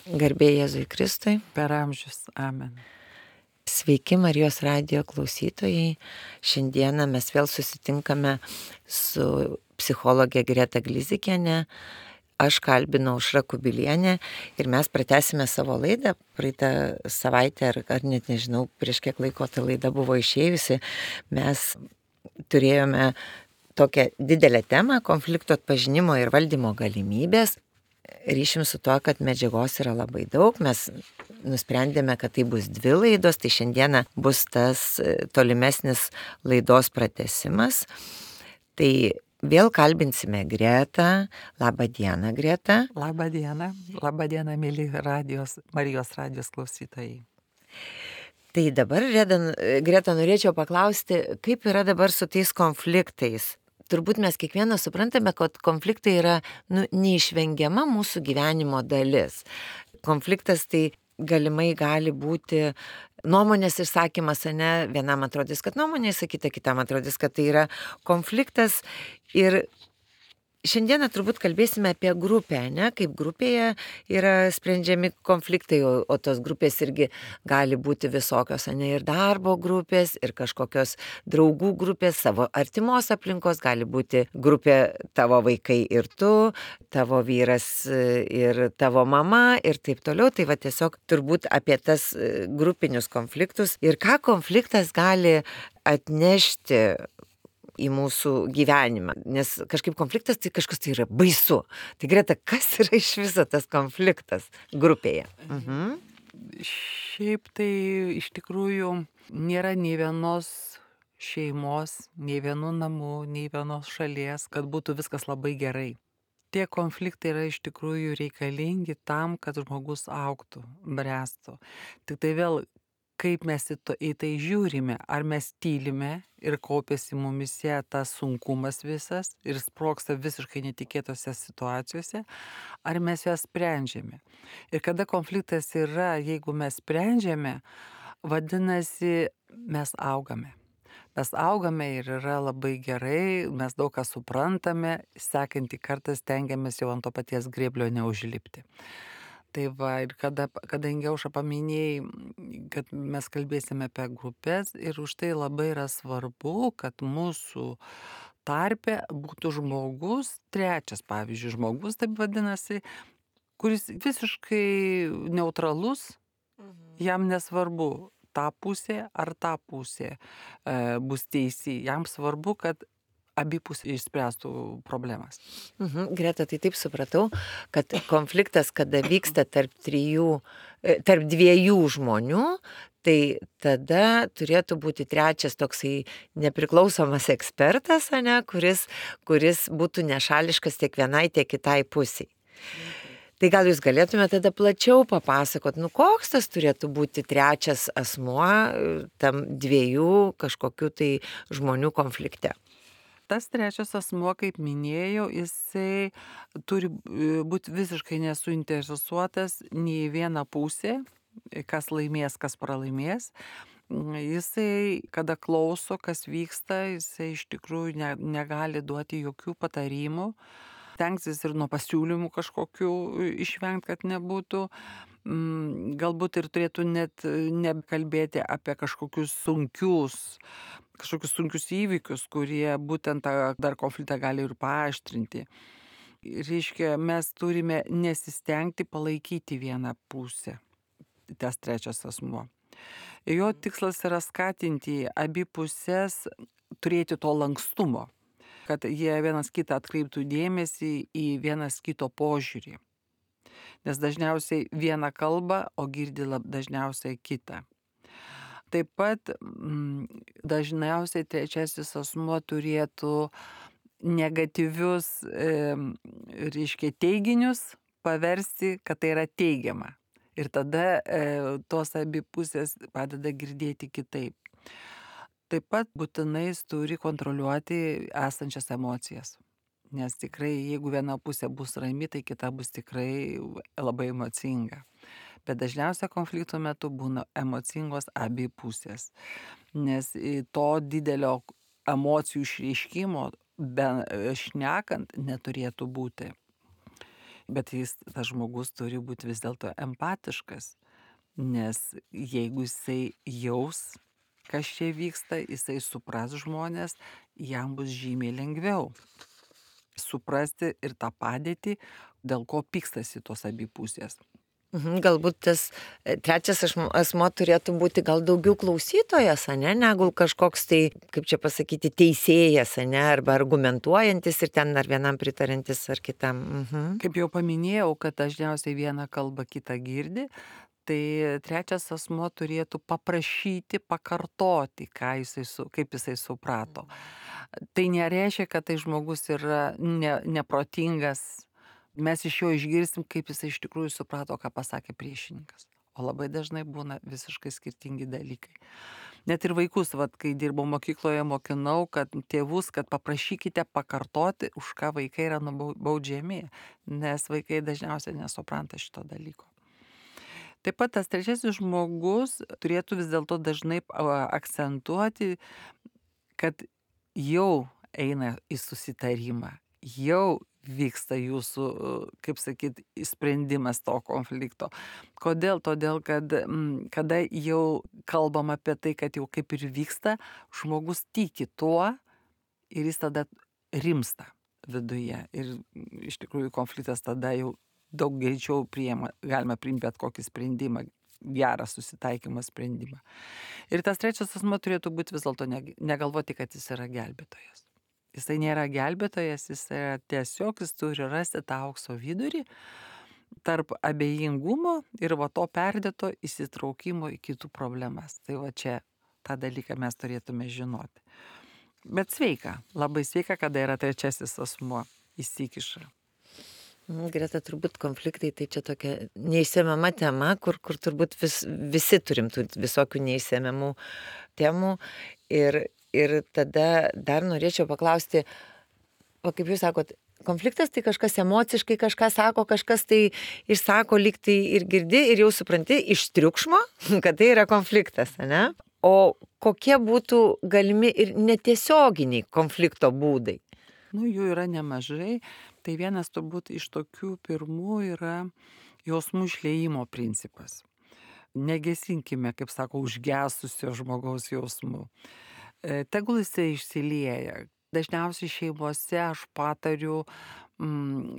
Garbė Jėzui Kristui. Per amžius. Amen. Sveiki Marijos radijo klausytojai. Šiandieną mes vėl susitinkame su psichologė Greta Glizikienė. Aš kalbinau Aušrą Kubilienę ir mes pratęsime savo laidą. Praeitą savaitę, ar net nežinau, prieš kiek laiko ta laida buvo išėjusi, mes turėjome tokią didelę temą - konflikto atpažinimo ir valdymo galimybės. Ryšim su tuo, kad medžiagos yra labai daug, mes nusprendėme, kad tai bus 2 laidos, tai šiandieną bus tas tolimesnis laidos pratęsimas. Tai vėl kalbinsime Gretą. Labą dieną, Greta. Labą dieną. Labą dieną, mėly Marijos radijos klausytojai. Tai dabar, Greta, norėčiau paklausti, kaip yra dabar su tais konfliktais? Turbūt mes kiekvienas suprantame, kad konfliktai yra neišvengiama mūsų gyvenimo dalis. Konfliktas tai galimai gali būti nuomonės išsakymas, ne? Vienam atrodys, kad nuomonė išsakyta, kitam atrodys, kad tai yra konfliktas. Ir šiandieną turbūt kalbėsime apie grupę, ne? Kaip grupėje yra sprendžiami konfliktai, o tos grupės irgi gali būti visokios, ne? Ir darbo grupės, ir kažkokios draugų grupės, savo artimos aplinkos, gali būti grupė tavo vaikai ir tu, tavo vyras ir tavo mama ir taip toliau. Tai va tiesiog turbūt apie tas grupinius konfliktus ir ką konfliktas gali atnešti į mūsų gyvenimą, nes kažkaip konfliktas tai kažkas tai yra baisu. Tai Greta, kas yra iš viso tas konfliktas grupėje? Šiaip tai iš tikrųjų nėra nei vienos šeimos, nei vienų namų, nei vienos šalies, kad būtų viskas labai gerai. Tie konfliktai yra iš tikrųjų reikalingi tam, kad žmogus augtų, bręstų. Tik tai vėl, kaip mes į tai žiūrime, ar mes tylime ir kaupiasi mumise tas sunkumas visas ir sprogsta visiškai netikėtose situacijose, ar mes jas sprendžiame. Ir kada konfliktas yra, jeigu mes sprendžiame, vadinasi, mes augame. Mes augame ir yra labai gerai, mes daug ką suprantame, sekantį kartą stengiamės jau ant to paties grėblio neužlipti. Tai va, ir kadangi Aušra paminėjai, kad mes kalbėsime apie grupės ir už tai labai yra svarbu, kad mūsų tarpe būtų žmogus, trečias, pavyzdžiui, žmogus, taip vadinasi, kuris visiškai neutralus, jam nesvarbu ta pusė ar ta pusė bus teisi, jam svarbu, kad abi pusės išspręstų problemas. Greta, tai taip supratau, kad konfliktas, kada vyksta tarp 2 žmonių, tai tada turėtų būti trečias toksai nepriklausomas ekspertas, ne, kuris būtų nešališkas tiek vienai, tiek kitai pusiai. Tai gal jūs galėtumėte tada plačiau papasakot, koks tas turėtų būti trečias asmuo tam 2 kažkokių tai žmonių konflikte? Tas trečias asmuo, kaip minėjau, jisai turi būti visiškai nesuinteresuotas nei viena pusė, kas laimės, kas pralaimės. Jisai, kada klauso, kas vyksta, jisai iš tikrųjų negali duoti jokių patarimų. Tenksis ir nuo pasiūlymų kažkokių išvengti, kad nebūtų. Galbūt ir turėtų net nekalbėti apie kažkokius sunkius įvykius, kurie būtent dar konfliktą gali ir paaštrinti. Reiškia, mes turime nesistengti palaikyti vieną pusę, tas trečias asmuo. Jo tikslas yra skatinti abi pusės turėti to lankstumo, kad jie vienas kitą atkreiptų dėmesį į vienas kito požiūrį. Nes dažniausiai viena kalba, o girdi dažniausiai kitą. Taip pat dažniausiai trečiasis asmuo turėtų negatyvius, reiškia, teiginius paversti, kad tai yra teigiama. Ir tada tos abi pusės padeda girdėti kitaip. Taip pat būtinai jis turi kontroliuoti esančias emocijas. Nes tikrai, jeigu viena pusė bus rami, tai kita bus tikrai labai emocinga. Bet dažniausiai konflikto metu būna emocingos abi pusės. Nes to didelio emocijų išreiškimo šnekant neturėtų būti. Bet tas žmogus turi būti vis dėlto empatiškas, nes jeigu jisai jaus, kas čia vyksta, jisai supras žmonės, jam bus žymiai lengviau suprasti ir tą padėtį, dėl ko pykstasi tos abi pusės. Galbūt tas trečias asmo turėtų būti gal daugiau klausytojas, ane, negu kažkoks tai, kaip čia pasakyti, teisėjas, ane, arba argumentuojantis ir ten ar vienam pritarantis ar kitam. Kaip jau paminėjau, kad dažniausiai viena kalba kitą girdi, tai trečias asmo turėtų paprašyti, pakartoti, kaip jisai suprato. Tai nereiškia, kad tai žmogus yra neprotingas. Mes iš jo išgirsim, kaip jisai iš tikrųjų suprato, ką pasakė priešininkas. O labai dažnai būna visiškai skirtingi dalykai. Net ir vaikus, kai dirbau mokykloje, mokinau, kad tėvus, kad paprašykite pakartoti, už ką vaikai yra baudžiami, nes vaikai dažniausiai nesupranta šito dalyko. Taip pat tas trečiasis žmogus turėtų vis dėlto dažnai akcentuoti, kad jau eina į susitarimą, jau vyksta jūsų, kaip sakyt, sprendimas to konflikto. Kodėl? Todėl, kad kada jau kalbam apie tai, kad jau kaip ir vyksta, žmogus tiki tuo ir jis tada rimsta viduje. Ir iš tikrųjų konfliktas tada jau daug greičiau galima priimti bet kokį sprendimą, gerą susitaikymą sprendimą. Ir tas trečias asmo turėtų būti vis dėlto negalvoti, kad jis yra gelbėtojas. Jisai nėra gelbėtojas, jis turi rasti tą aukso vidurį tarp abejingumo ir to perdėto įsitraukimo į kitų problemas. Tai čia tą dalyką mes turėtume žinoti. Bet sveika, labai sveika, kada yra trečiasis asmuo įsikiša. Greta, turbūt konfliktai tai čia tokia neišsemiama tema, kur turbūt visi turim visokių neišsemiamų temų. Ir tada dar norėčiau paklausti, kaip jūs sakot, konfliktas tai kažkas emociškai kažką sako, kažkas tai išsako, lyg tai ir girdi ir jau supranti iš triukšmo, kad tai yra konfliktas, ne? O kokie būtų galimi ir netiesioginiai konflikto būdai? Jų yra nemažai. Tai vienas turbūt iš tokių pirmų yra jausmų išliejimo principas. Negesinkime, kaip sako, užgesusio žmogaus jausmų. Tegul jisai išsilieja. Dažniausiai šeimose aš patariu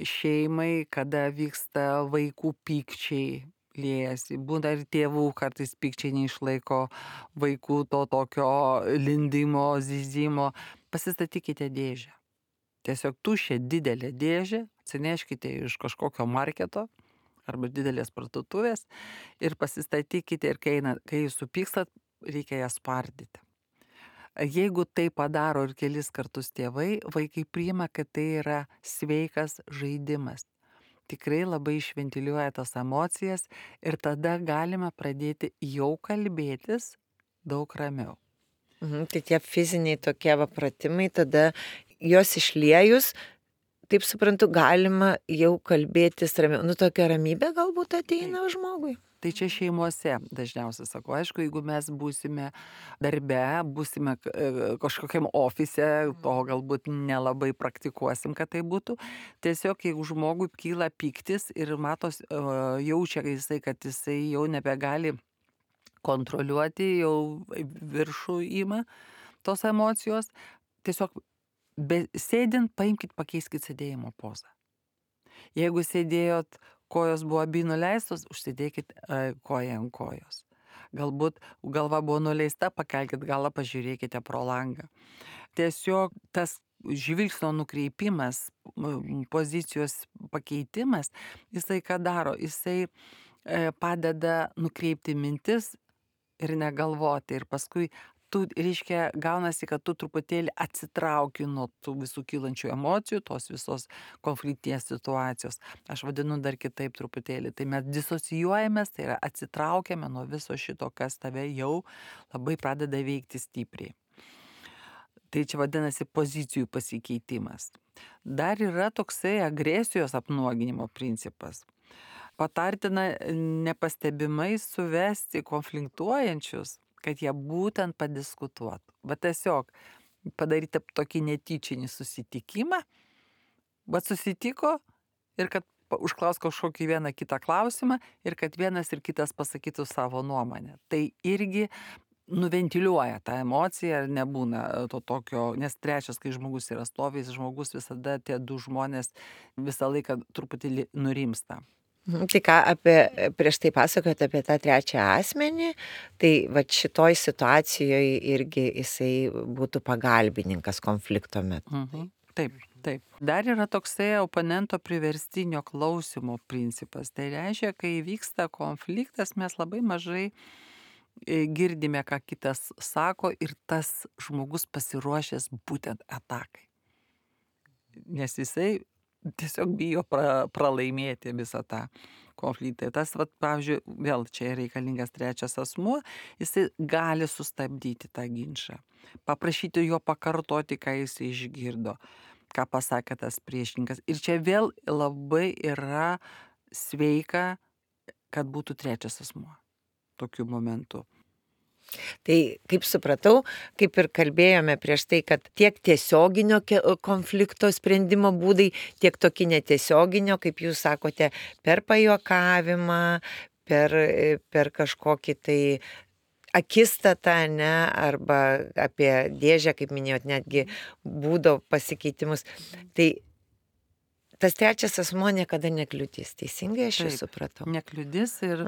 šeimai, kada vyksta vaikų pykčiai liejasi. Būna ir tėvų kartais pykčiai neišlaiko vaikų to tokio lindimo, zyzimo. Pasistatykite dėžę. Tiesiog tuščią didelę dėžę, atsineškite iš kažkokio marketo arba didelės parduotuvės ir pasistatykite ir kai jūs supykstat, reikia ją spardyti. Jeigu tai padaro ir kelis kartus tėvai, vaikai priima, kad tai yra sveikas žaidimas. Tikrai labai išventiliuoja tas emocijas ir tada galima pradėti jau kalbėtis daug ramiau. Tai tie fiziniai tokie pratimai, tada juos išliejus, taip suprantu, galima jau kalbėtis ramiau. Tokia ramybė galbūt ateina žmogui. Tai čia šeimose dažniausiai sakau. Aišku, jeigu mes būsime darbe, būsime kažkokiam ofise, to galbūt nelabai praktikuosim, kad tai būtų. Tiesiog, jeigu žmogui kyla pyktis ir matos, jaučia jisai, kad jisai jau nebegali kontroliuoti, jau viršų ima tos emocijos, tiesiog sėdint, paimkit, pakeiskit sėdėjimo pozą. Jeigu sėdėjot, kojos buvo abi nuleistos, užsidėkit koją ant kojos. Galbūt galva buvo nuleista, pakelkit galą, pažiūrėkite pro langą. Tiesiog tas žvilgsnio nukreipimas, pozicijos pakeitimas, jisai ką daro? Jisai padeda nukreipti mintis ir negalvoti. Ir paskui reiškia, gaunasi, kad tu truputėlį atsitrauki nuo tų visų kylančių emocijų, tos visos konfliktinės situacijos. Aš vadinu dar kitaip truputėlį. Tai mes disocijuojamės, tai yra atsitraukiame nuo viso šito, kas tave jau labai pradeda veikti stipriai. Tai čia vadinasi pozicijų pasikeitimas. Dar yra toksai agresijos apnuoginimo principas. Patartina nepastebimai suvesti konfliktuojančius, kad jie būtent padiskutuotų. Bet tiesiog padaryti tokį netyčinį susitikimą, bet susitiko ir kad užklaus kažkokį vieną kitą klausimą ir kad vienas ir kitas pasakytų savo nuomonę. Tai irgi nuventiliuoja tą emociją ir nebūna to tokio, nes trečias, kai žmogus yra stovėjęs, žmogus visada tie du žmonės visą laiką truputį nurimsta. Tai ką prieš tai pasakojot apie tą trečią asmenį, tai va šitoj situacijoje irgi jisai būtų pagalbininkas konflikto metu. Taip. Dar yra toksai oponento priverstinio klausimo principas. Tai reiškia, kai vyksta konfliktas, mes labai mažai girdime, ką kitas sako ir tas žmogus pasiruošęs būtent atakai. Nes jisai tiesiog bijo pralaimėti visą tą konfliktą. Tas, pavyzdžiui, vėl čia reikalingas trečias asmuo, jisai gali sustabdyti tą ginčą, paprašyti jo pakartoti, ką jis išgirdo, ką pasakė tas priešininkas. Ir čia vėl labai yra sveika, kad būtų trečias asmuo tokiu momentu. Tai kaip supratau, kaip ir kalbėjome prieš tai, kad tiek tiesioginio konflikto sprendimo būdai, tiek tokie netiesioginio, kaip jūs sakote, per pajuokavimą, per kažkokį tai akistatą, ne, arba apie dėžę, kaip minėjot, netgi būdo pasikeitimus. Tai tas trečias asmuo niekada nekliudys, teisingai aš jūs supratau? Nekliudys ir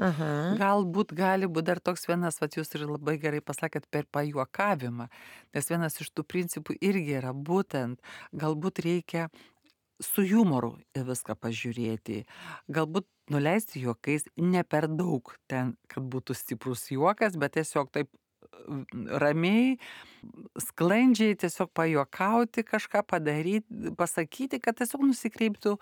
galbūt gali būti dar toks vienas, jūs ir labai gerai pasakėt, per pajuokavimą, nes vienas iš tų principų irgi yra būtent, galbūt reikia su humoru į viską pažiūrėti, galbūt nuleisti juokais, ne per daug ten, kad būtų stiprus juokas, bet tiesiog taip ramiai, sklandžiai tiesiog pajuokauti, kažką padaryti, pasakyti, kad tiesiog nusikreiptų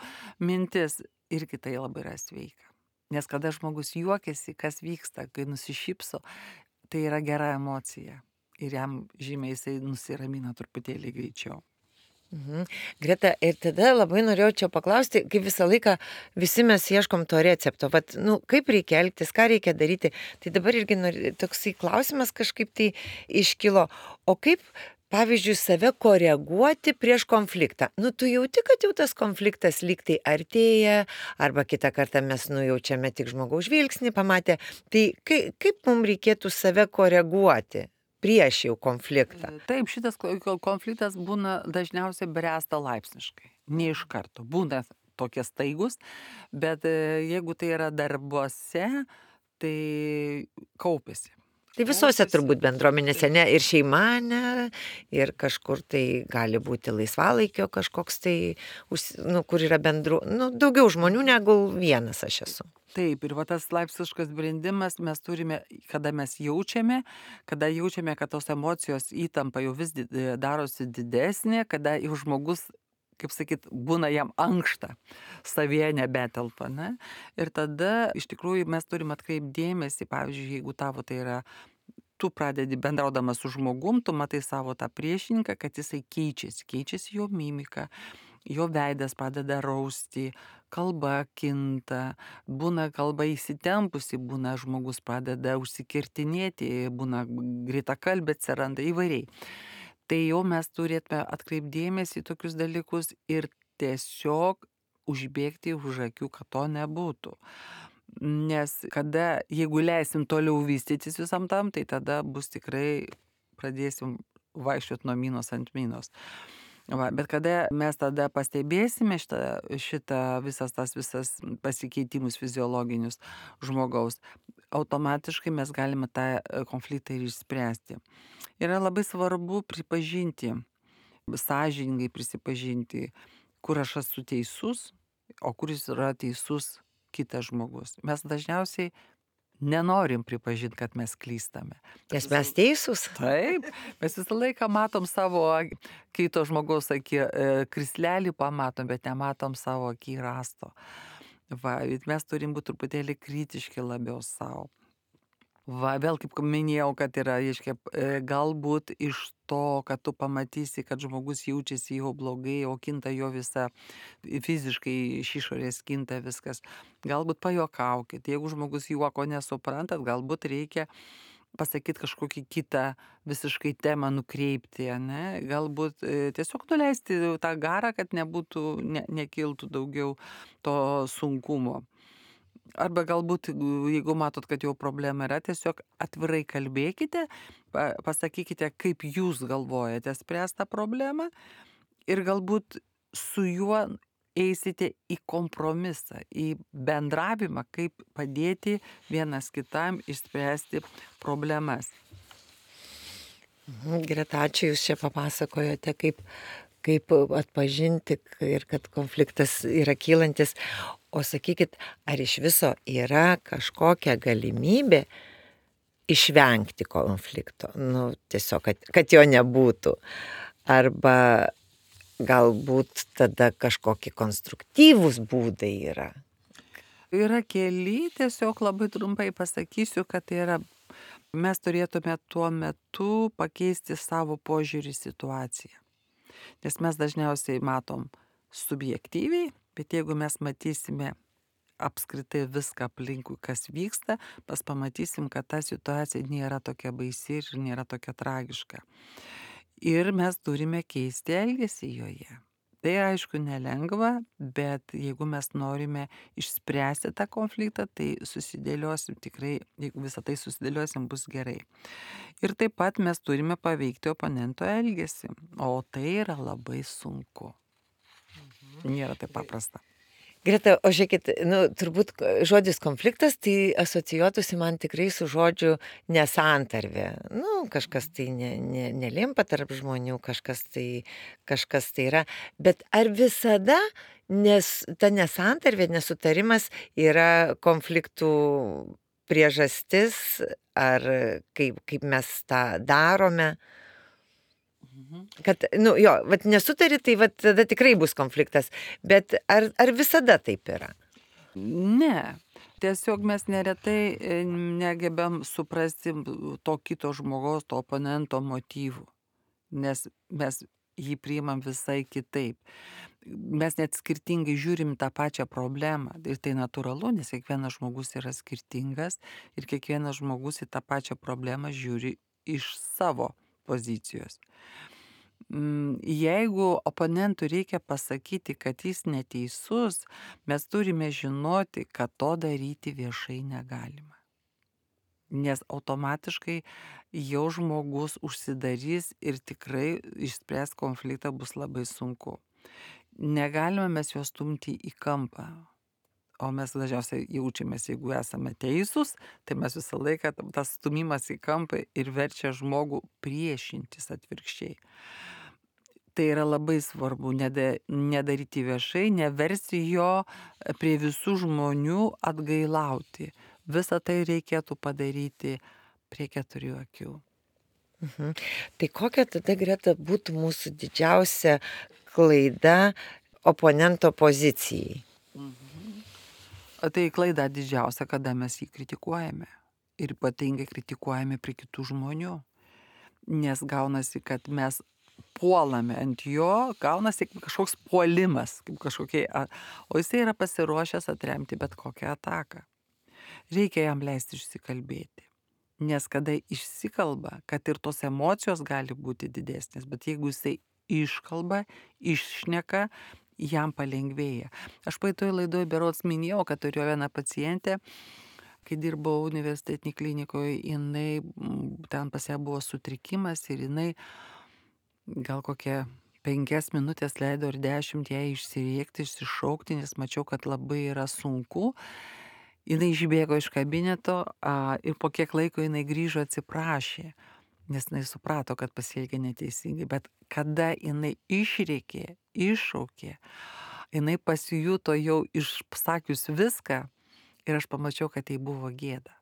mintis. Irgi tai labai yra sveika. Nes kada žmogus juokiasi, kas vyksta, kai nusišypso, tai yra gera emocija. Ir jam žymiai jisai nusiramina truputėlį greičiau. Greta, ir tada labai norėjau čia paklausti, kaip visą laiką visi mes ieškom to recepto, kaip reikia elgtis, ką reikia daryti. Tai dabar irgi toksai klausimas kažkaip tai iškilo, o kaip, pavyzdžiui, save koreguoti prieš konfliktą. Tu jauti, kad jau tas konfliktas lyg tai artėja, arba kitą kartą mes nujaučiame tik žmogaus žvilgsnį pamatę. Tai kaip mums reikėtų save koreguoti prieš jau konfliktą? Taip, šitas konfliktas būna dažniausiai bręsta laipsniškai, ne iš karto. Būna tokie staigus, bet jeigu tai yra darbuose, tai kaupiasi. Tai visose turbūt bendruomenėse, ne, ir šeima, ne, ir kažkur tai gali būti laisvalaikio kažkoks tai, kur yra bendru, daugiau žmonių negu vienas aš esu. Taip, ir tas laipsniškas brendimas mes turime, kada mes jaučiame, kad tos emocijos įtampa jau vis darosi didesnė, kada jau žmogus, kaip sakyt, būna jam ankšta, savyje nebetelpa, ne? Ir tada iš tikrųjų mes turime atkreipti dėmesį, pavyzdžiui, jeigu tavo tai yra, tu pradedi bendraudamas su žmogum, tu matai savo tą priešininką, kad jisai keičiasi jo mimika, jo veidas pradeda rausti, kalba kinta, būna kalba įsitempusi, būna žmogus pradeda užsikirtinėti, būna greitakalbė atsiranda įvairiai. Tai jau mes turėtume atkreipdėmėsi į tokius dalykus ir tiesiog užbėgti už akių, kad to nebūtų. Nes jeigu leisim toliau vystytis visam tam, tai tada bus tikrai pradėsim vaikščioti nuo minos ant minos. Bet kada mes tada pastebėsime visas pasikeitimus fiziologinius žmogaus, automatiškai mes galime tą konfliktą ir išspręsti. Yra labai svarbu pripažinti, sąžiningai prisipažinti, kur aš esu teisus, o kuris yra teisus kitas žmogus. Mes dažniausiai nenorim pripažinti, kad mes klystame. Nes mes teisūs. Taip, mes visą laiką matom savo kito žmogaus krislelį pamatom, bet nematom savo akį rasto. Mes turim būti truputėlį kritiški labiau savo. Vėl kaip minėjau, kad yra, galbūt iš to, kad tu pamatysi, kad žmogus jaučiasi jau blogai, o kinta jo visa, fiziškai iš išorės kinta viskas. Galbūt pajuokaukit, jeigu žmogus juoko nesuprantat, galbūt reikia pasakyti kažkokį kitą visiškai temą nukreipti, ne? Galbūt tiesiog nuleisti tą garą, kad nekiltų daugiau to sunkumo. Arba galbūt, jeigu matot, kad jau problema yra, tiesiog atvirai kalbėkite, pasakykite, kaip jūs galvojate spręsti tą problemą ir galbūt su juo eisite į kompromisą, į bendravimą, kaip padėti vienas kitam išspręsti problemas. Greta, ačiū, jūs čia papasakojote, kaip atpažinti ir kad konfliktas yra kylantis. O sakykit, ar iš viso yra kažkokia galimybė išvengti konflikto? Nu, tiesiog, kad jo nebūtų. Arba galbūt tada kažkokie konstruktyvūs būdai yra. Yra keli, tiesiog labai trumpai pasakysiu, kad tai yra, mes turėtume tuo metu pakeisti savo požiūrį į situaciją. Nes mes dažniausiai matom subjektyviai, bet jeigu mes matysime apskritai viską aplinkui, kas vyksta, mes pamatysim, kad ta situacija nėra tokia baisi ir nėra tokia tragiška. Ir mes turime keisti elgesį joje. Tai aišku nelengva, bet jeigu mes norime išspręsti tą konfliktą, tai susidėliosim tikrai, jeigu visą tai susidėliosim, bus gerai. Ir taip pat mes turime paveikti oponento elgesį, o tai yra labai sunku. Nėra taip paprasta. Greta, o žiūrėkit, turbūt žodis konfliktas tai asocijuotųsi man tikrai su žodžiu nesantarvė. Kažkas tai nelimpa tarp žmonių, kažkas tai yra. Bet ar visada ta nesantarvė, nesutarimas yra konfliktų priežastis, ar kaip mes tą darome? Kad, nesutari, tai tada tikrai bus konfliktas. Bet ar visada taip yra? Ne. Tiesiog mes neretai negebėm suprasti to kito žmogaus, to oponento motyvų. Nes mes jį priimam visai kitaip. Mes net skirtingai žiūrim tą pačią problemą. Ir tai natūralu, nes kiekvienas žmogus yra skirtingas ir kiekvienas žmogus į tą pačią problemą žiūri iš savo pozicijos. Jeigu oponentui reikia pasakyti, kad jis neteisus, mes turime žinoti, kad to daryti viešai negalima. Nes automatiškai jau žmogus užsidarys ir tikrai išspręs konfliktą bus labai sunku. Negalime mes juos stumti į kampą. O mes dažniausiai jaučiamės, jeigu esame teisūs, tai mes visą laiką tas stumimas į kampą ir verčia žmogų priešintis atvirkščiai. Tai yra labai svarbu nedaryti viešai, neversti jo prie visų žmonių atgailauti. Visą tai reikėtų padaryti prie 4 akių. Tai kokia tada, Greta, būtų mūsų didžiausia klaida oponento pozicijai? Tai klaida didžiausia, kada mes jį kritikuojame. Ir ypatingai kritikuojame prie kitų žmonių. Nes gaunasi, kad mes puolame ant jo, gaunasi kažkoks puolimas, kaip kažkokie, o jisai yra pasiruošęs atremti bet kokią ataką. Reikia jam leisti išsikalbėti. Nes kada išsikalba, kad ir tos emocijos gali būti didesnės, bet jeigu jisai iškalba, iššneka, jam palengvėja. Aš praeitoje laidoje berods minėjau, kad turėjau vieną pacientę, kai dirbau universitetinėje klinikoje, jinai, ten pas ją buvo sutrikimas ir jinai gal kokią 5 minutės leido ir 10 jai išsiriekti, išsišaukti, nes mačiau, kad labai yra sunku. Jinai išbėgo iš kabineto ir po kiek laiko jinai grįžo atsiprašė, nes jinai suprato, kad pasielgė neteisingai. Bet kada jinai išrėkė, iššaukė, jinai pasijuto jau išsakius viską ir aš pamačiau, kad tai buvo gėda.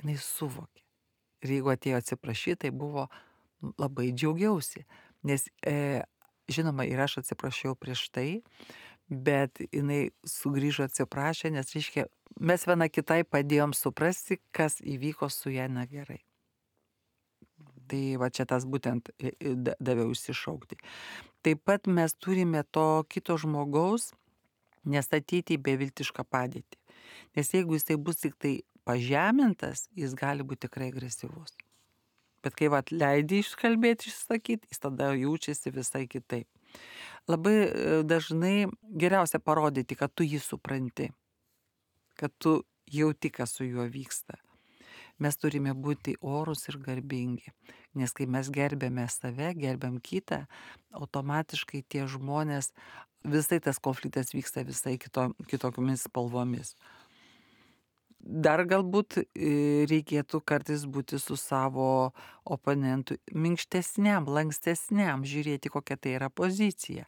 Jinai suvokė. Ir jeigu atėjo atsiprašyti, tai buvo labai džiaugiausi. Nes, žinoma, ir aš atsiprašiau prieš tai, bet jinai sugrįžo atsiprašė, nes, reiškia, mes viena kitai padėjom suprasti, kas įvyko su ja negerai. Tai va čia tas būtent daviau išsišaukti. Taip pat mes turime to kito žmogaus nestatyti į beviltišką padėtį. Nes jeigu jisai bus tik tai pažemintas, jis gali būti tikrai agresyvus. Bet kai vat leidai iškalbėti, išsakyti, jis tada jaučiasi visai kitaip. Labai dažnai geriausia parodyti, kad tu jį supranti, kad tu jauti, kas su juo vyksta. Mes turime būti orūs ir garbingi, nes kai mes gerbėme save, gerbėm kitą, automatiškai tie žmonės, visai tas konfliktas vyksta visai kitokiomis spalvomis. Dar galbūt reikėtų kartais būti su savo oponentu minkštesniam, lankstesniam, žiūrėti, kokia tai yra pozicija.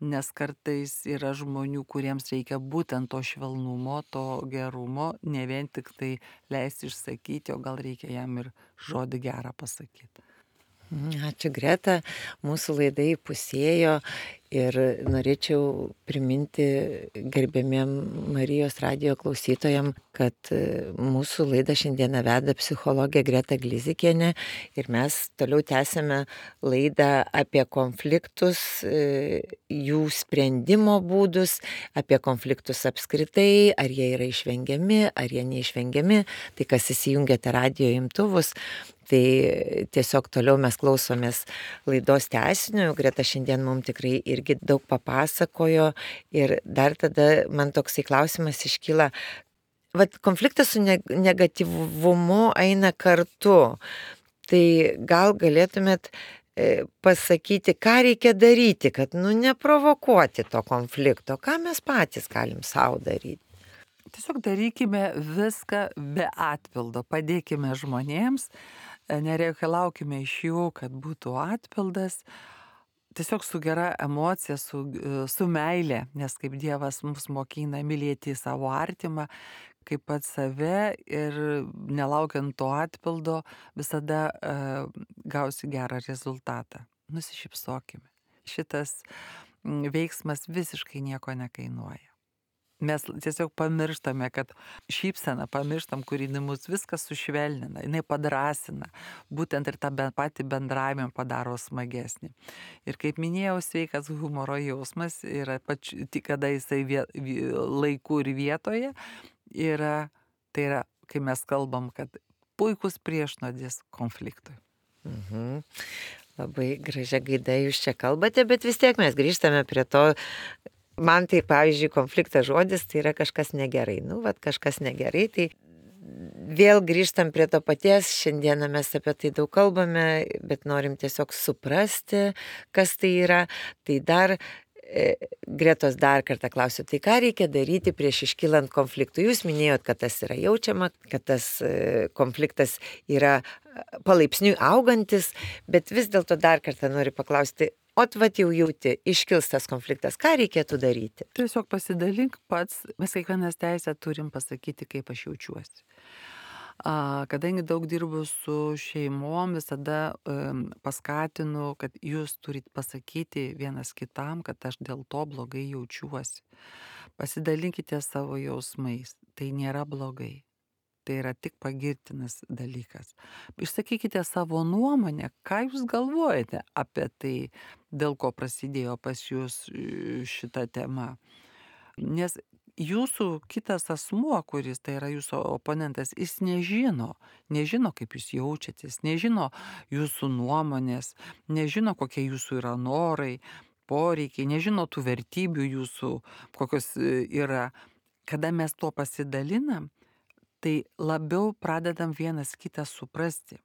Nes kartais yra žmonių, kuriems reikia būtent to švelnumo, to gerumo, ne vien tik tai leisti išsakyti, o gal reikia jam ir žodį gerą pasakyti. Ačiū Greta, mūsų laida įpusėjo ir norėčiau priminti gerbėmiem Marijos radijo klausytojam, kad mūsų laidą šiandieną veda psichologė Greta Glizikienė ir mes toliau tęsime laidą apie konfliktus, jų sprendimo būdus, apie konfliktus apskritai, ar jie yra išvengiami, ar jie neišvengiami, tai kas įsijungiate radijo imtuvus. Tai tiesiog toliau mes klausomės laidos tęsinio, Greta šiandien mums tikrai irgi daug papasakojo ir dar tada man toksai klausimas iškyla, vat konfliktas su negatyvumu eina kartu, tai gal galėtumėt pasakyti, ką reikia daryti, kad neprovokuoti to konflikto, ką mes patys galim savo daryti. Tiesiog darykime viską be atpildo, padėkime žmonėms, nereikalaukime iš jų, kad būtų atpildas, tiesiog su gera emocija, su meile, nes kaip Dievas mus mokina mylėti savo artimą, kaip pat save ir nelaukiant to atpildo visada gausi gerą rezultatą. Nusišypsokime. Šitas veiksmas visiškai nieko nekainuoja. Mes tiesiog pamirštame, kad šypseną pamirštam, kuri mus viskas sušvelnina, jinai padrasina, būtent ir tą patį bendravimą padaro smagesnį. Ir kaip minėjau, sveikas humoro jausmas yra tik kada jisai laiku ir vietoje, tai yra, kai mes kalbam, kad puikus priešnuodis konfliktui. Labai gražia gaida jūs čia kalbate, bet vis tiek mes grįžtame prie to. Man tai, pavyzdžiui, konfliktas žodis, tai yra kažkas negerai. Kažkas negerai, tai vėl grįžtam prie to paties. Šiandieną mes apie tai daug kalbame, bet norim tiesiog suprasti, kas tai yra. Tai dar, Gretos dar kartą klausiu, tai ką reikia daryti prieš iškylant konfliktui? Jūs minėjot, kad tas yra jaučiama, kad tas konfliktas yra palaipsniui augantis, bet vis dėlto dar kartą noriu paklausti, vat jau jauti, iškils tas konfliktas, ką reikėtų daryti? Tiesiog pasidalink pats, mes kiekvienas teisę turim pasakyti, kaip aš jaučiuosi. Kadangi daug dirbu su šeimom, visada paskatinu, kad jūs turit pasakyti vienas kitam, kad aš dėl to blogai jaučiuosi. Pasidalinkite savo jausmais, tai nėra blogai. Tai yra tik pagirtinas dalykas. Išsakykite savo nuomonę, ką jūs galvojate apie tai, dėl ko prasidėjo pas jūs šita tema. Nes jūsų kitas asmuo, kuris tai yra jūsų oponentas, jis nežino, kaip jūs jaučiatės, nežino jūsų nuomonės, nežino, kokie jūsų yra norai, poreikiai, nežino tų vertybių jūsų, kokios yra. Kada mes tuo pasidalinam, tai labiau pradedam vienas kitą suprasti.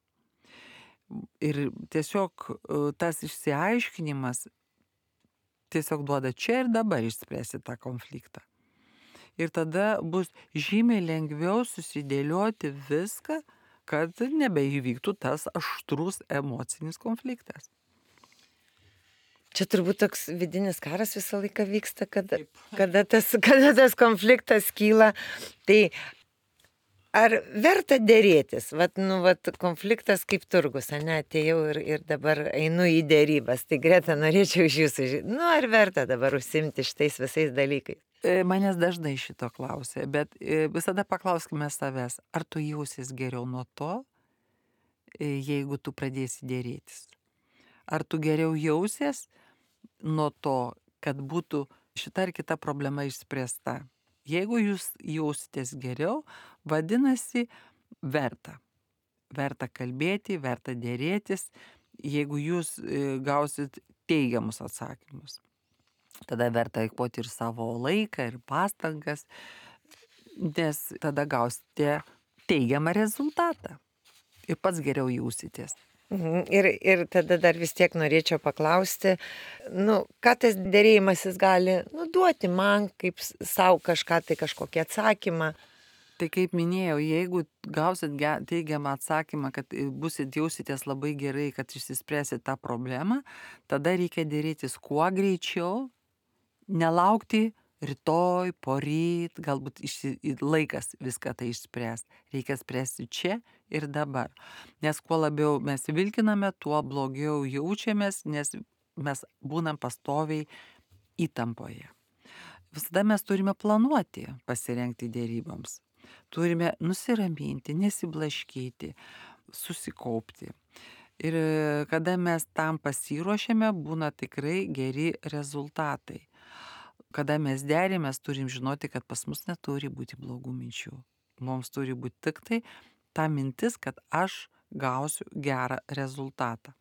Ir tiesiog tas išsiaiškinimas tiesiog duoda čia ir dabar išspręsti tą konfliktą. Ir tada bus žymiai lengviau susidėlioti viską, kad nebeįvyktų tas aštrus emocinis konfliktas. Čia turbūt toks vidinis karas visą laiką vyksta, kada tas konfliktas kyla. Tai ar verta dėrėtis? Konfliktas kaip turgus, atėjau ir dabar einu į dėrybas. Tai Greta, norėčiau iš jūsų žinoti, ar verta dabar užsimti šitais visais dalykais? Manęs dažnai šito klausia, bet visada paklauskime savęs, ar tu jausies geriau nuo to, jeigu tu pradėsi dėrėtis? Ar tu geriau jausies nuo to, kad būtų šita ar kita problema išspręsta? Jeigu jūs jausitės geriau, vadinasi, verta. verta kalbėti, verta dėrėtis, jeigu jūs gausit teigiamus atsakymus. Tada verta eikvoti ir savo laiką, ir pastangas, nes tada gausite teigiamą rezultatą ir pats geriau jausitės. Ir tada dar vis tiek norėčiau paklausti, ką tas dėrėjimasis gali duoti man, kaip savo kažką, tai kažkokį atsakymą. Tai kaip minėjau, jeigu gausit teigiamą atsakymą, kad jausitės labai gerai, kad išsispręsit tą problemą, tada reikia dėrėtis kuo greičiau, nelaukti rytoj, poryt, galbūt laikas viską tai išspręs. Reikia spręsti čia ir dabar. Nes kuo labiau mes vilkiname, tuo blogiau jaučiamės, nes mes būnam pastoviai įtampoje. Visada mes turime planuoti, pasirengti dėryboms. Turime nusiraminti, nesiblaškyti, susikaupti. Ir kada mes tam pasiruošėme, būna tikrai geri rezultatai. Kada mes derimės, turim žinoti, kad pas mus neturi būti blogų minčių. Mums turi būti tik tai ta mintis, kad aš gausiu gerą rezultatą.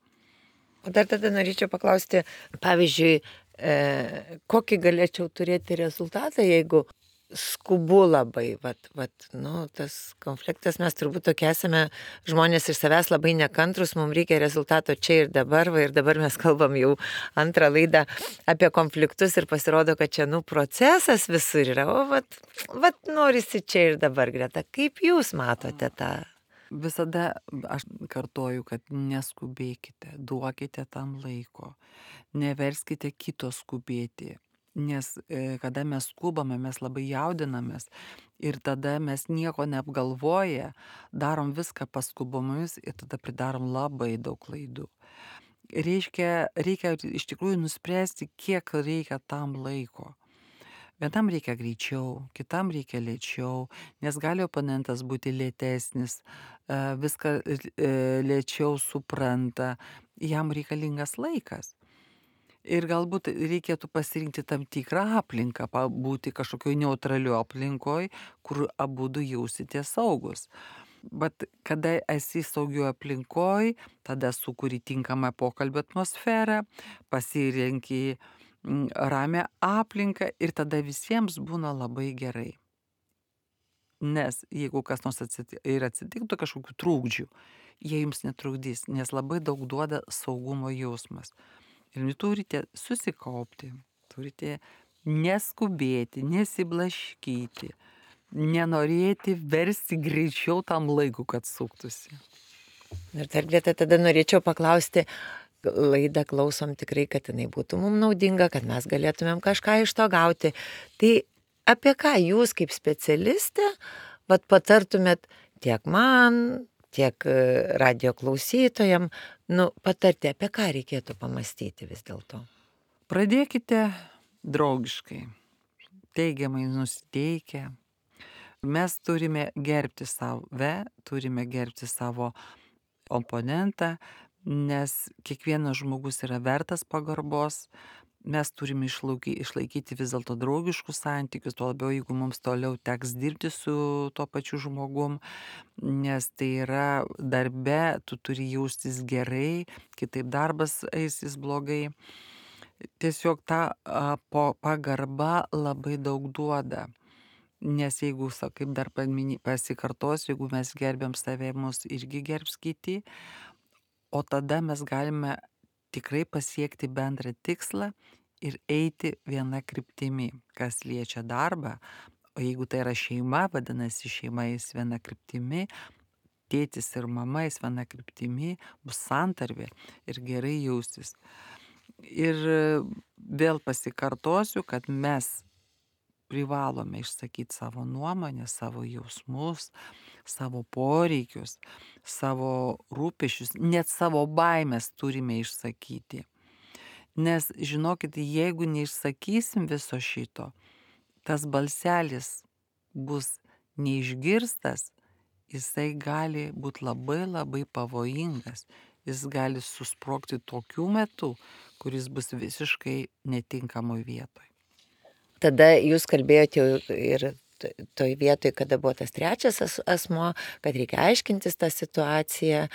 O dar tada norėčiau paklausti, pavyzdžiui, kokį galėčiau turėti rezultatą, jeigu skubu labai, tas konfliktas, mes turbūt tokie esame žmonės iš savęs labai nekantrus, mums reikia rezultato čia ir dabar, ir dabar mes kalbam jau antrą laidą apie konfliktus ir pasirodo, kad čia, procesas visur yra, o norisi čia ir dabar, Greta, kaip jūs matote tą? Visada aš kartoju, kad neskubėkite, duokite tam laiko, neverskite kito skubėti. Nes kada mes skubame, mes labai jaudinamės ir tada mes nieko neapgalvoję, darom viską paskubomis ir tada pridarom labai daug klaidų. Reikia iš tikrųjų nuspręsti, kiek reikia tam laiko. Vienam reikia greičiau, kitam reikia lėčiau, nes gali oponentas būti lėtesnis, viską lėčiau supranta, jam reikalingas laikas. Ir galbūt reikėtų pasirinkti tam tikrą aplinką, būti kažkokioj neutralioj aplinkoj, kur abudu jausitės saugus. Bet kada esi saugioj aplinkoj, tada sukuri tinkamą pokalbio atmosferą, pasirenki ramią aplinką ir tada visiems būna labai gerai. Nes jeigu kas nors atsitiktų kažkokių trūkdžių, jie jums netrukdys, nes labai daug duoda saugumo jausmas. Ir turite susikaupti, turite neskubėti, nesiblaškyti, nenorėti versti greičiau tam laiku, kad suktųsi. Ir dar Greta, tada norėčiau paklausti, laidą klausom tikrai, kad jinai būtų mums naudinga, kad mes galėtumėm kažką iš to gauti. Tai apie ką jūs kaip specialistė patartumėt tiek man, tiek radio klausytojam, patarti, apie ką reikėtų pamastyti vis dėlto? Pradėkite draugiškai, teigiamai nusiteikę. Mes turime gerbti save, turime gerbti savo oponentą, nes kiekvienas žmogus yra vertas pagarbos. Mes turime išlaikyti vis dėlto draugiškus santykius, tuo labiau, jeigu mums toliau teks dirbti su tuo pačiu žmogum, nes tai yra darbe, tu turi jaustis gerai, kitaip darbas eisis blogai. Tiesiog ta pagarba labai daug duoda. Nes jeigu, kaip dar pasikartosiu, jeigu mes gerbiam save, mus irgi gerbs kiti, o tada mes galime tikrai pasiekti bendrą tikslą ir eiti viena kryptimi, kas liečia darbą. O jeigu tai yra šeima, vadinasi šeima eis viena kryptimi, tėtis ir mama eis viena kryptimi, bus santarvė ir gerai jaustis. Ir vėl pasikartosiu, kad mes privalome išsakyti savo nuomonę, savo jausmus, savo poreikius, savo rūpesčius, net savo baimės turime išsakyti. Nes žinokit, jeigu neišsakysim viso šito, tas balselis bus neišgirstas, jisai gali būti labai labai pavojingas. Jis gali susprogti tokiu metu, kuris bus visiškai netinkamoj vietoj. Tada jūs kalbėjote ir toj vietoj, kada buvo tas trečias asmo, kad reikia aiškintis tą situaciją,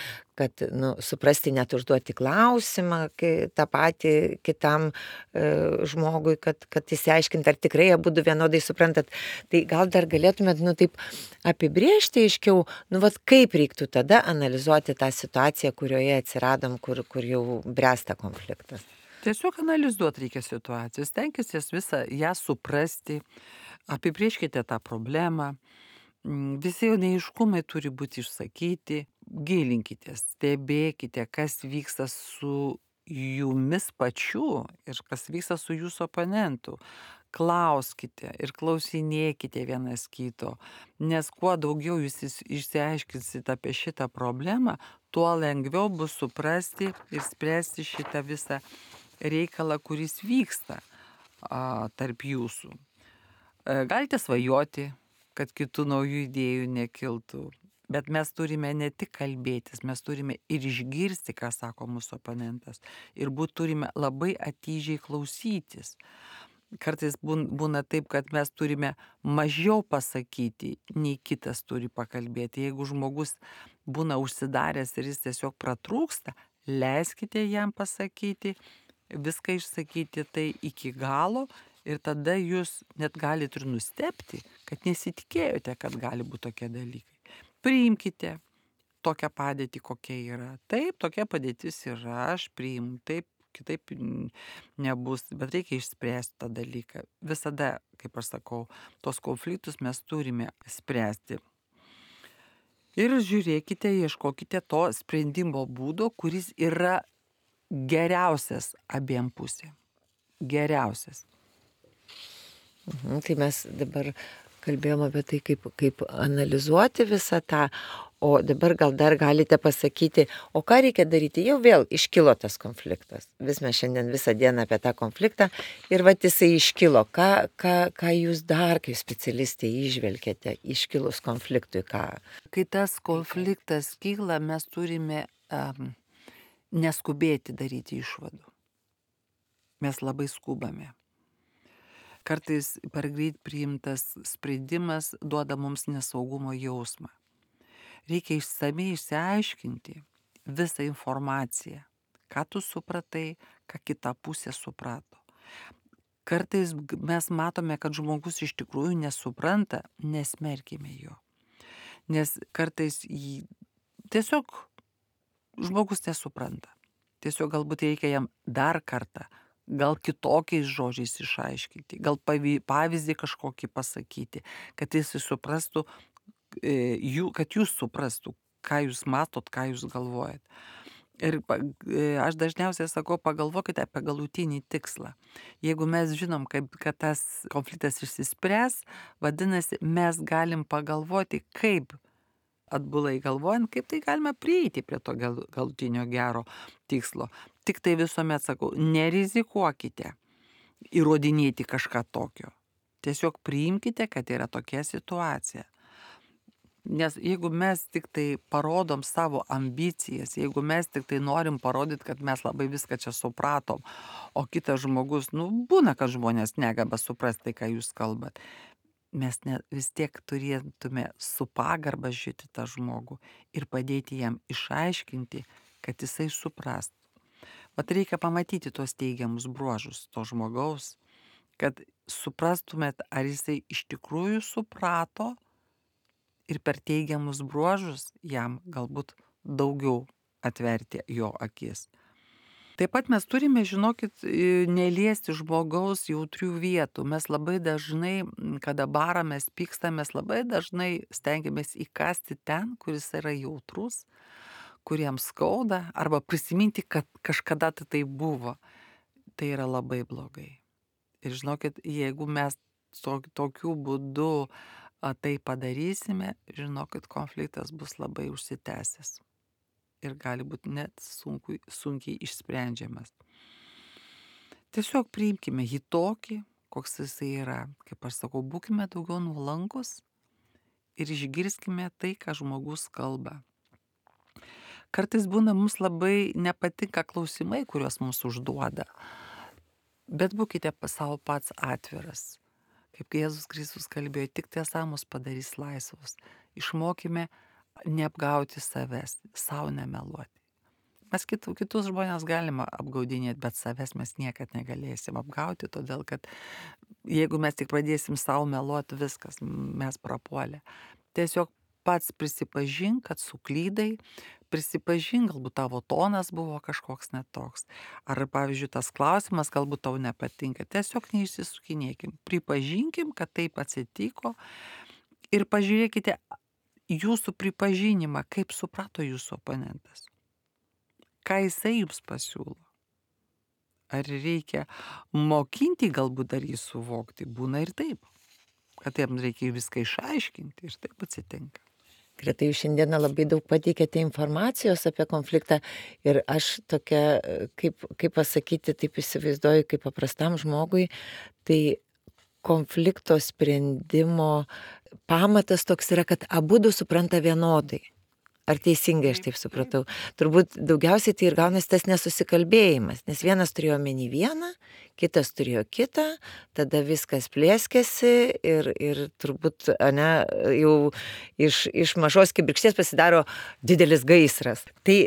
kad suprasti, net užduoti klausimą tą patį kitam žmogui, kad įsiaiškinti, ar tikrai abudu vienodai suprantat. Tai gal dar galėtumėt, taip apibrėžti aiškiau, kaip reiktų tada analizuoti tą situaciją, kurioje atsiradom, kur jau bręsta konfliktas. Tiesiog analizuoti reikia situaciją, stenkitės visą ją suprasti, apibrėžkite tą problemą, visi jo neiškumai turi būti išsakyti, gilinkitės, stebėkite, kas vyksta su jumis pačiu ir kas vyksta su jūsų oponentu. Klauskite ir klausinėkite vienas kito, nes kuo daugiau jūs išsiaiškinsit apie šitą problemą, tuo lengviau bus suprasti ir spręsti šitą visą reikalą, kuris vyksta tarp jūsų. Galite svajoti, kad kitų naujų idėjų nekiltų, bet mes turime ne tik kalbėtis, mes turime ir išgirsti, ką sako mūsų oponentas, ir turime labai atidžiai klausytis. Kartais būna taip, kad mes turime mažiau pasakyti, nei kitas turi pakalbėti. Jeigu žmogus būna užsidaręs ir jis tiesiog pratrūksta, leiskite jam pasakyti, viską išsakyti tai iki galo ir tada jūs net galite ir nustebti, kad nesitikėjote, kad gali būti tokie dalykai. Priimkite tokią padėtį, kokia yra. Taip, tokia padėtis yra, aš priimu, taip, kitaip nebus, bet reikia išspręsti tą dalyką. Visada, kaip aš sakau, tos konfliktus mes turime spręsti. Ir žiūrėkite, ieškokite to sprendimo būdo, kuris yra geriausias abiem pusėm. Geriausias. Tai mes dabar kalbėjom apie tai, kaip analizuoti visą tą, o dabar gal dar galite pasakyti, o ką reikia daryti, jau vėl iškilo tas konfliktas. Vis mes šiandien visą dieną apie tą konfliktą ir jisai iškilo. Ką jūs dar kaip specialistė įžvelgėte iškilus konfliktui? Kai tas konfliktas kyla, mes turime neskubėti daryti išvadų. Mes labai skubame. Kartais per greit priimtas sprendimas duoda mums nesaugumo jausmą. Reikia išsamiai išsiaiškinti visą informaciją, ką tu supratai, ką kita pusė suprato. Kartais mes matome, kad žmogus iš tikrųjų nesupranta, nesmerkime jo. Nes kartais tiesiog žmogus nesupranta. Tiesiog galbūt reikia jam dar kartą, gal kitokiais žodžiais išaiškinti, gal pavyzdį kažkokį pasakyti, kad jis suprastų, kad jūs suprastų, ką jūs matot, ką jūs galvojat. Ir aš dažniausiai sakau, pagalvokite apie galutinį tikslą. Jeigu mes žinom, kad tas konfliktas išsispręs, vadinasi, mes galim pagalvoti, kaip atbulai galvojant, kaip tai galime prieiti prie to galutinio gero tikslo. Tik tai visuomet sakau, nerizikuokite įrodinėti kažką tokio. Tiesiog priimkite, kad yra tokia situacija. Nes jeigu mes tik tai parodom savo ambicijas, jeigu mes tik tai norim parodyti, kad mes labai viską čia supratom, o kitas žmogus, būna, kad žmonės negeba suprasti tai, ką jūs kalbat. Mes vis tiek turėtume su pagarba žiūrėti tą žmogų ir padėti jam išaiškinti, kad jisai suprastų. Reikia pamatyti tos teigiamus bruožus to žmogaus, kad suprastumėt, ar jisai iš tikrųjų suprato ir per teigiamus bruožus jam galbūt daugiau atverti jo akis. Taip pat mes turime, žinokit, neliesti žmogaus jautrių vietų. Mes labai dažnai, kada baramės, pykstamės, labai dažnai stengiamės įkasti ten, kuris yra jautrus, kuriems skauda, arba prisiminti, kad kažkada tai buvo. Tai yra labai blogai. Ir žinokit, jeigu mes tokiu būdu tai padarysime, žinokit, konfliktas bus labai užsitęsęs. Ir gali būti net sunkiai išsprendžiamas. Tiesiog priimkime jį tokį, koks jisai yra. Kaip aš sakau, būkime daugiau nuolankus ir išgirskime tai, ką žmogus kalba. Kartais būna mums labai nepatinka klausimai, kuriuos mums užduoda. Bet būkite savo pats atviras. Kaip Jėzus Kristus kalbėjo, tik tiesa mus padarys laisvus. Išmokime neapgauti savęs, savo nemeluoti. Mes kitus žmonės galima apgaudinėti, bet savęs mes niekad negalėsim apgauti, todėl kad jeigu mes tik pradėsim savo meluoti, viskas, mes prapuolę. Tiesiog pats prisipažink, kad suklydai, prisipažink, galbūt tavo tonas buvo kažkoks netoks. Ar, pavyzdžiui, tas klausimas galbūt tau nepatinka. Tiesiog neišsisukinėkim. Pripažinkim, kad taip atsitiko ir pažiūrėkite jūsų pripažinimą, kaip suprato jūsų oponentas. Ką jisai jums pasiūlo? Ar reikia mokinti galbūt dar jį suvokti? Būna ir taip, kad jam reikia viską išaiškinti ir taip atsitinka. Greta, jūs šiandieną labai daug pateikėte informacijos apie konfliktą ir aš tokia, kaip pasakyti, taip įsivaizduoju, kaip paprastam žmogui, tai konflikto sprendimo pamatas toks yra, kad abudu supranta vienodai. Ar teisingai aš taip supratau? Turbūt daugiausiai tai ir gaunasi tas nesusikalbėjimas, nes vienas turėjo omeny vieną, kitas turėjo kitą, tada viskas plėskėsi ir turbūt jau iš mažos kibirkšties pasidaro didelis gaisras. Tai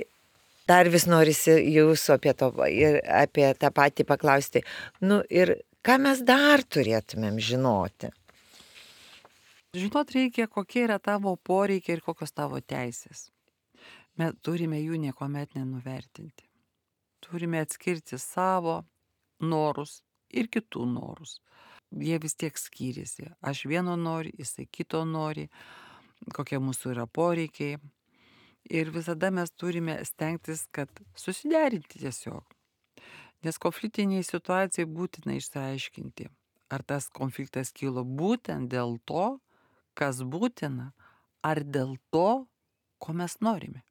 dar vis norisi jūsų apie tą patį paklausti. Ir ką mes dar turėtumėm žinoti? Žinot reikia, kokie yra tavo poreikiai ir kokios tavo teisės. Mes turime jų niekuomet nenuvertinti. Turime atskirti savo norus ir kitų norus. Jie vis tiek skiriasi. Aš vieno noriu, jisai kito nori, kokie mūsų yra poreikiai. Ir visada mes turime stengtis, kad susiderinti tiesiog. Nes konfliktiniai situacijai būtina išsiaiškinti, ar tas konfliktas kilo būtent dėl to, kas būtina, ar dėl to, ko mes norime.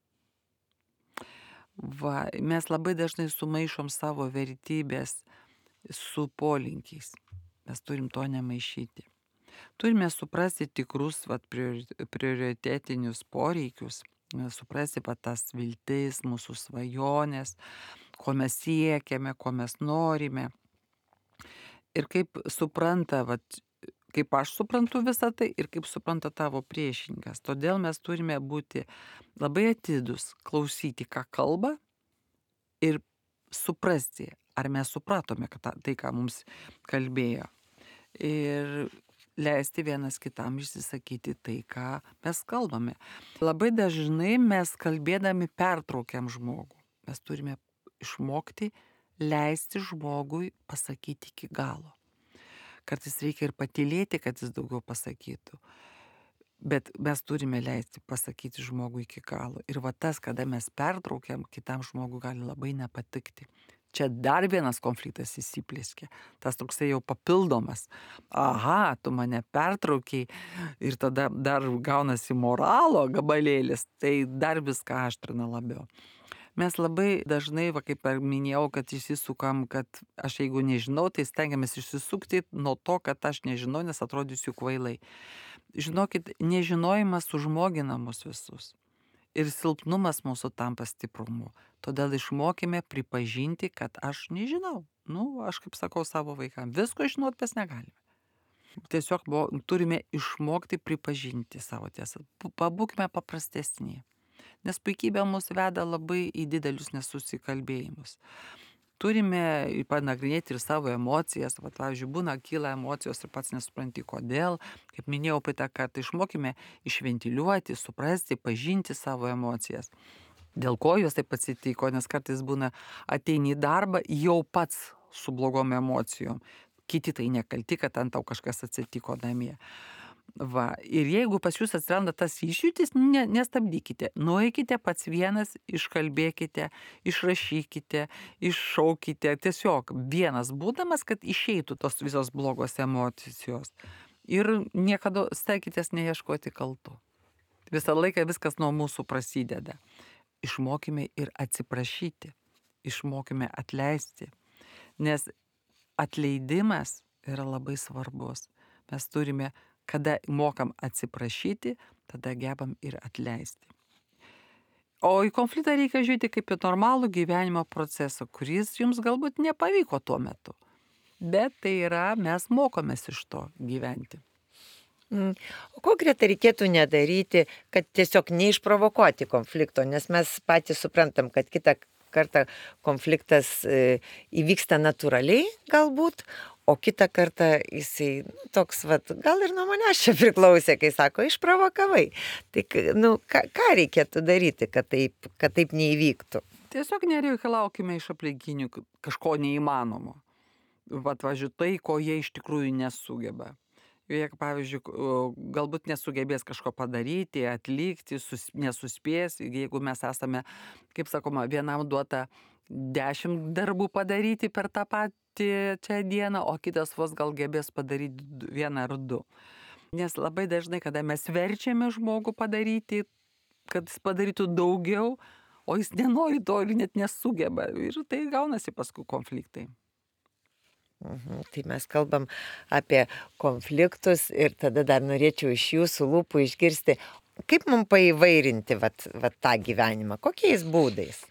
Mes labai dažnai sumaišom savo vertybės su polinkiais. Mes turim to nemaišyti. Turime suprasti tikrus prioritetinius poreikius, suprasti tas viltis, mūsų svajonės, ko mes siekiame, ko mes norime. Ir kaip supranta, kaip aš suprantu visą tai ir kaip supranta tavo priešininkas. Todėl mes turime būti labai atidus, klausyti, ką kalba ir suprasti, ar mes supratome tai, ką mums kalbėjo. Ir leisti vienas kitam išsisakyti tai, ką mes kalbame. Labai dažnai mes kalbėdami pertraukiam žmogų. Mes turime išmokti leisti žmogui pasakyti iki galo. Kartais reikia ir patylėti, kad jis daugiau pasakytų. Bet mes turime leisti pasakyti žmogui iki galo. Ir tas, kada mes pertraukiam, kitam žmogui gali labai nepatikti. Čia dar vienas konfliktas įsiplėskė. Tas toksai jau papildomas. Aha, tu mane pertraukiai ir tada dar gaunasi moralo gabalėlis. Tai dar viską aštrina labiau. Mes labai dažnai, kaip minėjau, kad išsisukam, kad aš jeigu nežinau, tai stengiamės išsisukti nuo to, kad aš nežinau, nes atrodysiu kvailai. Žinokit, nežinojimas sužmogina mus visus. Ir silpnumas mūsų tampa stiprumu. Todėl išmokime pripažinti, kad aš nežinau. Aš kaip sakau savo vaikams, visko žinot mes negalime. Tiesiog turime išmokti pripažinti savo tiesą. Pabūkime paprastesni. Nes puikybė mus veda labai į didelius nesusikalbėjimus. Turime panagrinėti ir savo emocijas. Pavyzdžiui, kyla emocijos ir pats nesupranti kodėl. Kaip minėjau, praeitą kartą išmokime išventiliuoti, suprasti, pažinti savo emocijas. Dėl ko jos taip atsitiko, nes kartais būna ateini į darbą jau pats su blogom emocijom. Kiti tai nekalti, kad ant tau kažkas atsitiko namie. Ir jeigu pas jūs atsiranda tas išjūtis, nestabdykite. Nueikite pats vienas, iškalbėkite, išrašykite, iššaukite. Tiesiog vienas būdamas, kad išeitų tos visos blogos emocijos. Ir niekada stenkitės neieškoti kaltų. Visą laiką viskas nuo mūsų prasideda. Išmokime ir atsiprašyti. Išmokime atleisti. Nes atleidimas yra labai svarbus. Mes turime, kada mokam atsiprašyti, tada gebam ir atleisti. O į konfliktą reikia žiūrėti kaip į normalų gyvenimo procesą, kuris jums galbūt nepavyko tuo metu. bet tai yra, mes mokomės iš to gyventi. O ko, Greta, reikėtų nedaryti, kad tiesiog neišprovokuoti konflikto, nes mes patys suprantam, kad kitą kartą konfliktas įvyksta natūraliai galbūt, o kitą kartą jisai toks, gal ir nuo manęs čia priklausė, kai sako, išprovokavai. Tai, ką reikėtų daryti, kad taip neįvyktų? Tiesiog nereikalaukime iš aplinkinių kažko neįmanomo. Pavyzdžiui, tai, ko jie iš tikrųjų nesugeba. Jie, pavyzdžiui, galbūt nesugebės kažko padaryti, atlikti, nesuspės, jeigu mes esame, kaip sakoma, vienam duota 10 darbų padaryti per tą patį čia dieną, o kitas vos gal gebės padaryti 1 ar 2. Nes labai dažnai, kada mes verčiame žmogų padaryti, kad jis padarytų daugiau, o jis nenori to ir net nesugeba. Ir tai gaunasi paskui konfliktai. Tai mes kalbam apie konfliktus ir tada dar norėčiau iš jūsų lūpų išgirsti, kaip mums paįvairinti tą gyvenimą, kokiais būdais?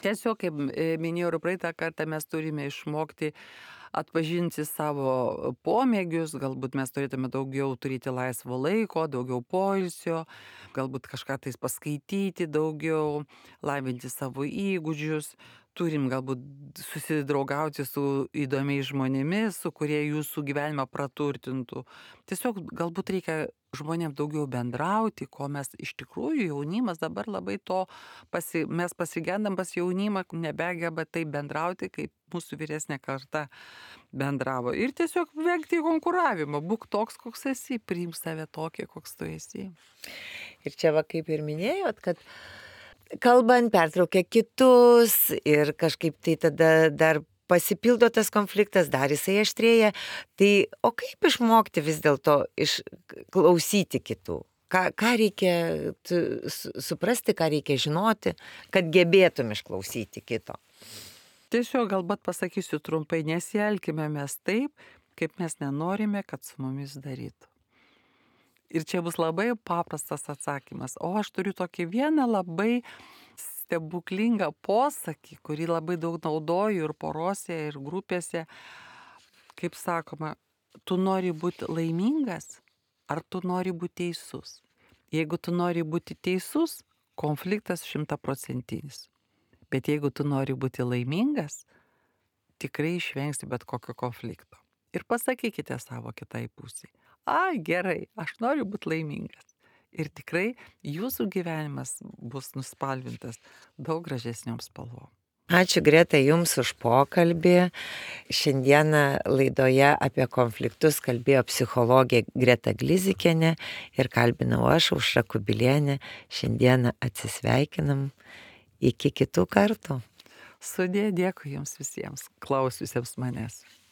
Tiesiog, kaip minėjau ir praeitą kartą, mes turime išmokti atpažinti savo pomėgius, galbūt mes turėtume daugiau turėti laisvo laiko, daugiau poilsio, galbūt kažką tais paskaityti daugiau, lavinti savo įgūdžius. Turim galbūt susidraugauti su įdomiais žmonėmis, su kurie jūsų gyvenimą praturtintų. Tiesiog galbūt reikia žmonėms daugiau bendrauti, ko mes iš tikrųjų jaunimas dabar labai to, mes pasigendam pas jaunimą, nebegeba taip bendrauti, kaip mūsų vyresnė karta bendravo. Ir tiesiog vengti konkuravimą, būk toks, koks esi, priimk save tokį, koks tu esi. Ir čia kaip ir minėjot, kad kalbant, pertraukia kitus ir kažkaip tai tada dar pasipildo tas konfliktas, dar jisai aštrėja. Tai o kaip išmokti vis dėlto išklausyti kitų? Ką reikia suprasti, ką reikia žinoti, kad gebėtum išklausyti kito? Tiesiog galbūt pasakysiu trumpai, nesielkime mes taip, kaip mes nenorime, kad su mumis darytų. Ir čia bus labai paprastas atsakymas. O aš turiu tokį vieną labai stebuklingą posakį, kurį labai daug naudoju ir porose, ir grupėse. Kaip sakoma, tu nori būti laimingas, ar tu nori būti teisus? Jeigu tu nori būti teisus, konfliktas 100%. Bet jeigu tu nori būti laimingas, tikrai išvengsi bet kokio konflikto. Ir pasakykite savo kitai pusiai. Gerai, aš noriu būti laimingas. Ir tikrai jūsų gyvenimas bus nuspalvintas daug gražesniom spalvom. Ačiū, Greta, jums už pokalbį. Šiandieną laidoje apie konfliktus kalbėjo psichologė Greta Glizikienė ir kalbinau aš, Aušra Kubilienė. Šiandieną atsisveikinam. Iki kitų kartų. Sudie, dėkui jums visiems, klausiusiems manęs.